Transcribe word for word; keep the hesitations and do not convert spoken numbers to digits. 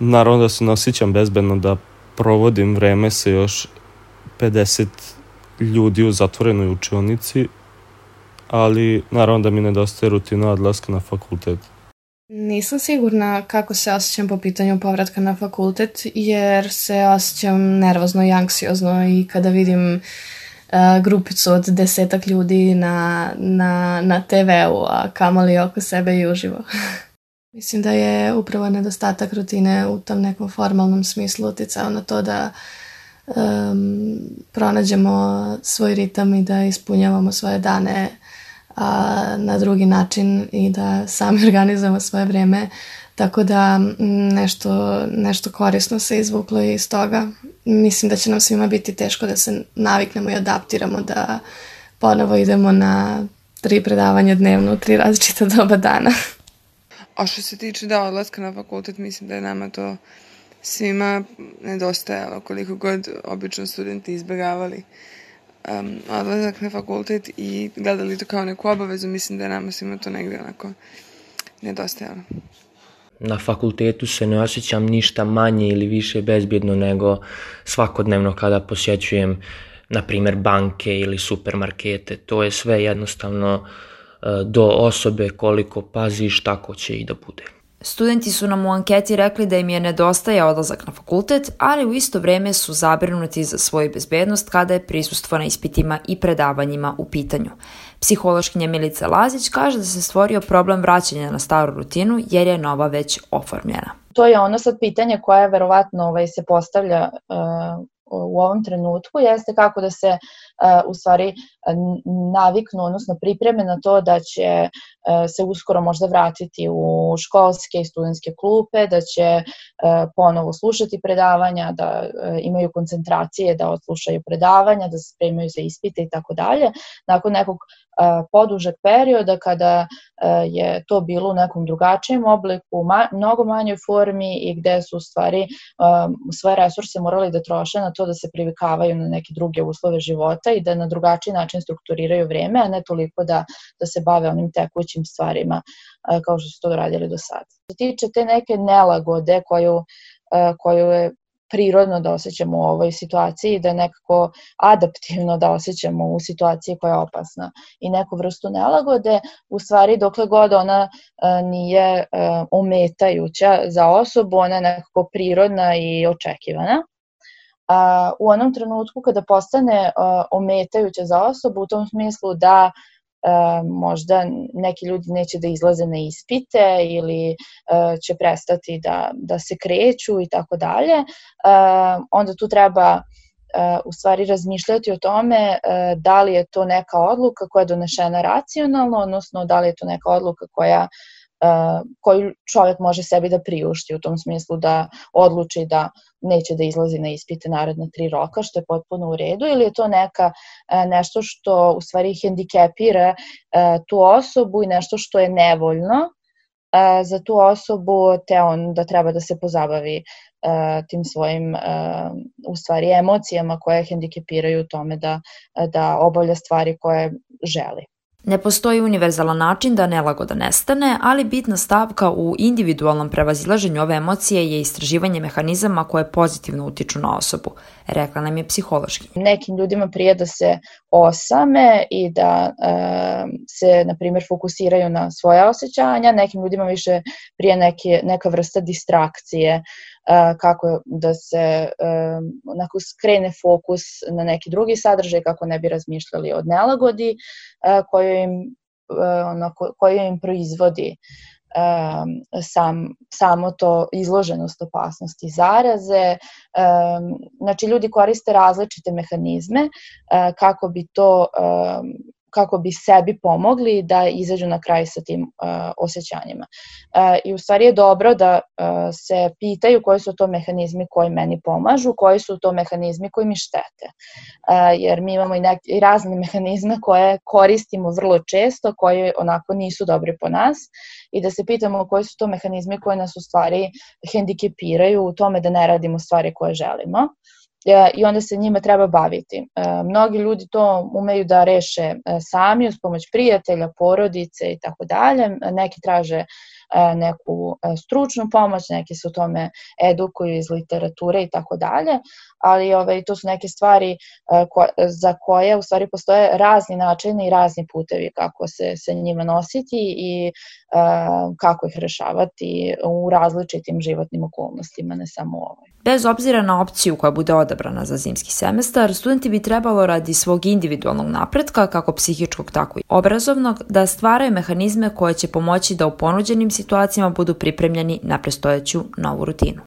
Naravno da se ne osjećam bezbedno da provodim vreme sa još pedeset ljudi u zatvorenoj učionici, ali naravno da mi nedostaje rutina odlaska na fakultet. Nisam sigurna kako se osjećam po pitanju povratka na fakultet, jer se osjećam nervozno i anksiozno i kada vidim uh, grupicu od desetak ljudi na, na, na te veu, a kamoli oko sebe i uživo. Mislim da je upravo nedostatak rutine u tom nekom formalnom smislu uticao na to da um, pronađemo svoj ritam i da ispunjavamo svoje dane a, na drugi način i da sami organizujemo svoje vreme, tako da nešto, nešto korisno se izvuklo iz toga. Mislim da će nam svima biti teško da se naviknemo i adaptiramo, da ponovo idemo na tri predavanja dnevno u tri različita doba dana. A što se tiče da odlaska na fakultet, mislim da je nama to svima nedostajalo, koliko god obično studenti izbjegavali um, odlazak na fakultet i gledali to kao neku obavezu, mislim da je nama svima to negdje onako nedostajalo. Na fakultetu se ne osjećam ništa manje ili više bezbjedno nego svakodnevno kada posjećujem, na primjer, banke ili supermarkete. To je sve jednostavno do osobe, koliko paziš, tako će i da bude. Studenti su nam u anketi rekli da im je nedostaje odlazak na fakultet, ali u isto vrijeme su zabrinuti za svoju bezbednost kada je prisustvo na ispitima i predavanjima u pitanju. Psihološkinja Milica Lazić kaže da se stvorio problem vraćanja na staru rutinu jer je nova već oformljena. To je ono sad pitanje koje verovatno ovaj, se postavlja uh, u ovom trenutku, jeste kako da se uh, u stvari naviknu, odnosno pripreme na to da će uh, se uskoro možda vratiti u školske i studentske klupe, da će uh, ponovo slušati predavanja, da uh, imaju koncentracije, da odslušaju predavanja, da se spremaju za ispite i tako dalje. Nakon nekog uh, podužeg perioda kada uh, je to bilo u nekom drugačijem obliku, ma, mnogo manjoj formi i gde su u stvari um, svoje resurse morali da troše na to da se privikavaju na neke druge uslove života i da na drugačiji način strukturiraju vreme, a ne toliko da, da se bave onim tekućim stvarima uh, kao što su to radili do sada. Što se tiče te neke nelagode koju, uh, koju je prirodno da osjećamo u ovoj situaciji, da je nekako adaptivno da osjećamo u situaciji koja je opasna i neku vrstu nelagode, u stvari dokle god ona uh, nije uh, ometajuća za osobu, ona je nekako prirodna i očekivana. A u onom trenutku kada postane uh, ometajuća za osobu, u tom smislu da uh, možda neki ljudi neće da izlaze na ispite ili uh, će prestati da, da se kreću i tako dalje, onda tu treba uh, u stvari razmišljati o tome uh, da li je to neka odluka koja je donešena racionalno, odnosno da li je to neka odluka koja Uh, koju čovjek može sebi da priušti u tom smislu da odluči da neće da izlazi na ispite naredna tri roka, što je potpuno u redu, ili je to neka uh, nešto što u stvari hendikepira uh, tu osobu i nešto što je nevoljno uh, za tu osobu, te on da treba da se pozabavi uh, tim svojim uh, u stvari emocijama koje hendikepiraju u tome da, da obavlja stvari koje želi. Ne postoji univerzalan način da nelagoda nestane, ali bitna stavka u individualnom prevazilaženju ove emocije je istraživanje mehanizama koje pozitivno utiču na osobu, rekla nam je psihološkinja. Nekim ljudima prije da se osame i da e, se, na primjer, fokusiraju na svoje osjećanja, nekim ljudima više prije neke, neka vrsta distrakcije, kako da se onako skrene fokus na neki drugi sadržaj, kako ne bi razmišljali o nelagodi koju im, onako, koju im proizvodi sam, samo to izloženost opasnosti zaraze. Znači, ljudi koriste različite mehanizme kako bi to kako bi sebi pomogli da izađu na kraj sa tim uh, osjećanjima. Uh, I u stvari je dobro da uh, se pitaju koji su to mehanizmi koji meni pomažu, koji su to mehanizmi koji mi štete. Uh, jer mi imamo i, nek- i razne mehanizme koje koristimo vrlo često, koji onako nisu dobri po nas, i da se pitamo koji su to mehanizmi koji nas u stvari hendikepiraju u tome da ne radimo stvari koje želimo. I onda se njima treba baviti. Mnogi ljudi to umeju da reše sami uz pomoć prijatelja, porodice i tako dalje. Neki traže neku stručnu pomoć, neki se u tome edukuju iz literature i tako dalje, ali ovaj, to su neke stvari ko, za koje u stvari postoje razni načini i razni putevi kako se sa njima nositi i uh, kako ih rešavati u različitim životnim okolnostima, ne samo u ovoj. Bez obzira na opciju koja bude odabrana za zimski semestar, studenti bi trebalo radi svog individualnog napretka, kako psihičkog tako i obrazovnog, da stvaraju mehanizme koje će pomoći da u ponuđenim situacijama budu pripremljeni na predstojeću novu rutinu.